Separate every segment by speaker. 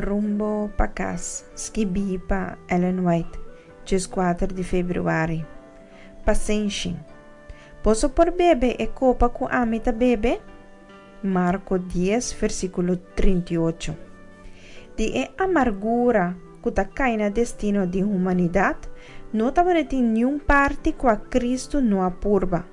Speaker 1: Rumbo pa kas, skibí pa Ellen White, 14 di febrüari. Pasenshi. Boso por bebe e kopa ku ami ta bebe? Marko dies, versíkulo 38. Di e amargura ku ta kai na destino di humanidat, no tabatin niun parti kua Kristu no a purba.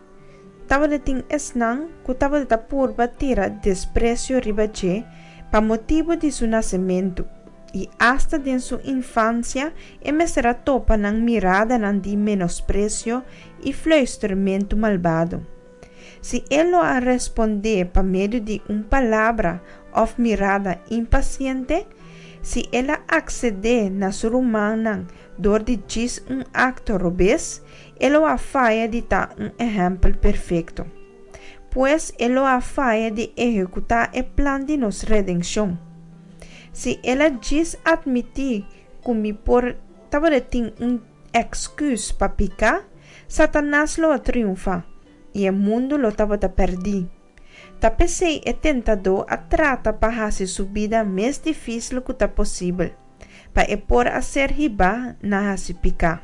Speaker 1: Tabatin esnan ku tabata purba tira despresio riba dje pa motibu di su nasementu, i asta den su infansia e mester a topa nan miradanan di menospresio i fluistermentu malbado. Si e lo a respondé pa medio di un palabra òf mirada impasiente, si el a aksedé na su rumannan dor di djis un akto robes, e lo a faya di ta un ehèmpel perfekto. Pues e lo a faya di ehekutá e plan di nos redenshon. Si el a djis atmití ku mi por tabatin un èksküs pa piká, Satanas lo a triunfá, i e mundu lo tabata pèrdí. Ta p'esei e tentadó a trata pa hasi su bida mes difísil ku ta posibel, pa e por a ser hibá na hasi piká.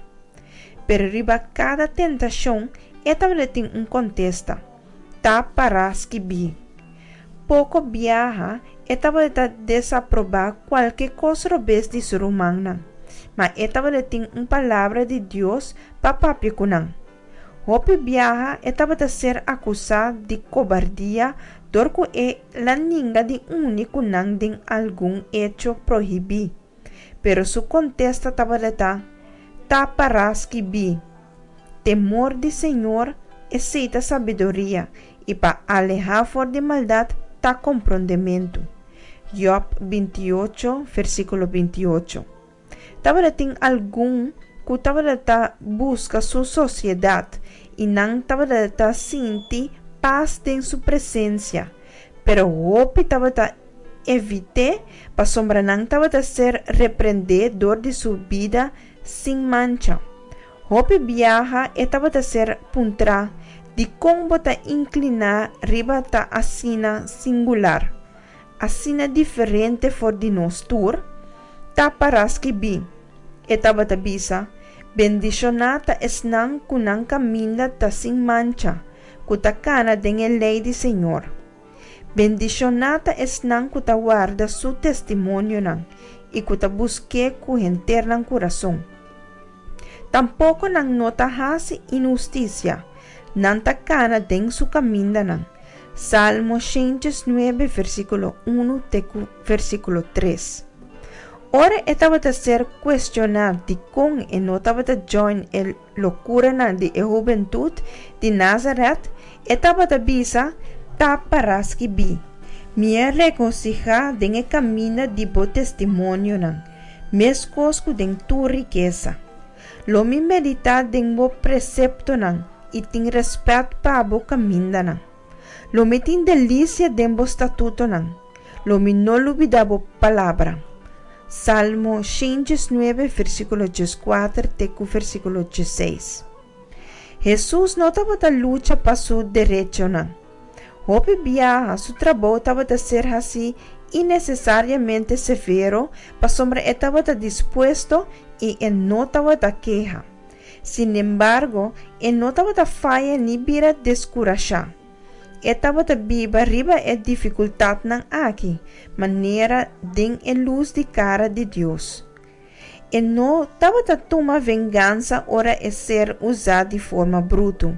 Speaker 1: Pero riba kada tentashon e tabatin un kontesta, Ta pará skibí. Poko biaha e tabata desaprobá kualke kos robes di su rumannan, ma e tabatin un palabra di Dios pa papia ku nan. Hopi biaha e tabata ser akusá di kobardia dor ku el a ninga di uni ku nan den algun echo prohibí. Pero su kontesta tabata, Ta pará skibí, Temor di Señor, esei ta sabiduria, i pa alehá for di maldat ta komprondementu. Job 28, versíkulo 28. Tabatin algun ku tabata buska su sosiedat i nan tabata sinti pas den su presensia, pero hopi tabata evit'é pasobra nan tabata ser reprendé dor di su bida sin mancha. Hopi biaha e tabata ser puntrá, Dikon bo ta inkliná riba ta asina singular? Asina diferente for di nos tur? Ta pará skibí, e tabata bisa, Bendishoná ta esnan ku nan kaminda ta sin mancha, ku ta kana den e lei di Señor. Bendishoná ta esnan ku ta warda su testimonionan i ku ta busk'é ku henter nan kurason. Tampoko nan no ta hasi inhustisia, nan ta kana den su kamindanan. Salmo 109, versíkulo 1 te ku versíkulo 3. Ora e tabata ser kuestioná dikon e no tabata join e lokuranan di e hubentut di Nazarèt, e tabata bisa, Ta pará skibí, Mi a regosihá den e kaminda di bo testimonionan, meskos ku den tur rikesa. Lo mi meditá den bo preseptonan i tin rèspèt pa bo kamindanan. Lo mi tin delisia den bo statutonan, lo mi no lubidá bo palabra. Salmo 119, versíkulo 14 te ku versíkulo 16. Hesus no tabata lucha pa su derechonan. Hopi biaha su trabou tabata ser hasí innesesariamente severo pasobra e tabata dispuesto i e no tabata keha. Sinembargo, e no tabata faya ni bira deskurashá. E tabata biba riba e difikultatnan aki, manera den e lus di kara di Dios. E no tabata tuma vengansa ora e ser usá di forma brutu,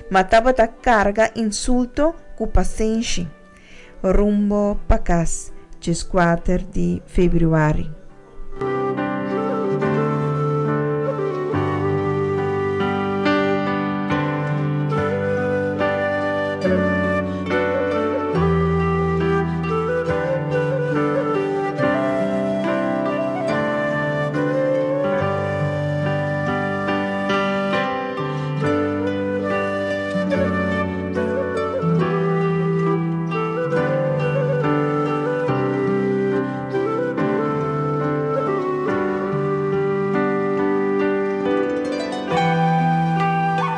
Speaker 1: ma tabata karga insulto ku pasenshi. Rumbo pa kas, 14 di febrüari.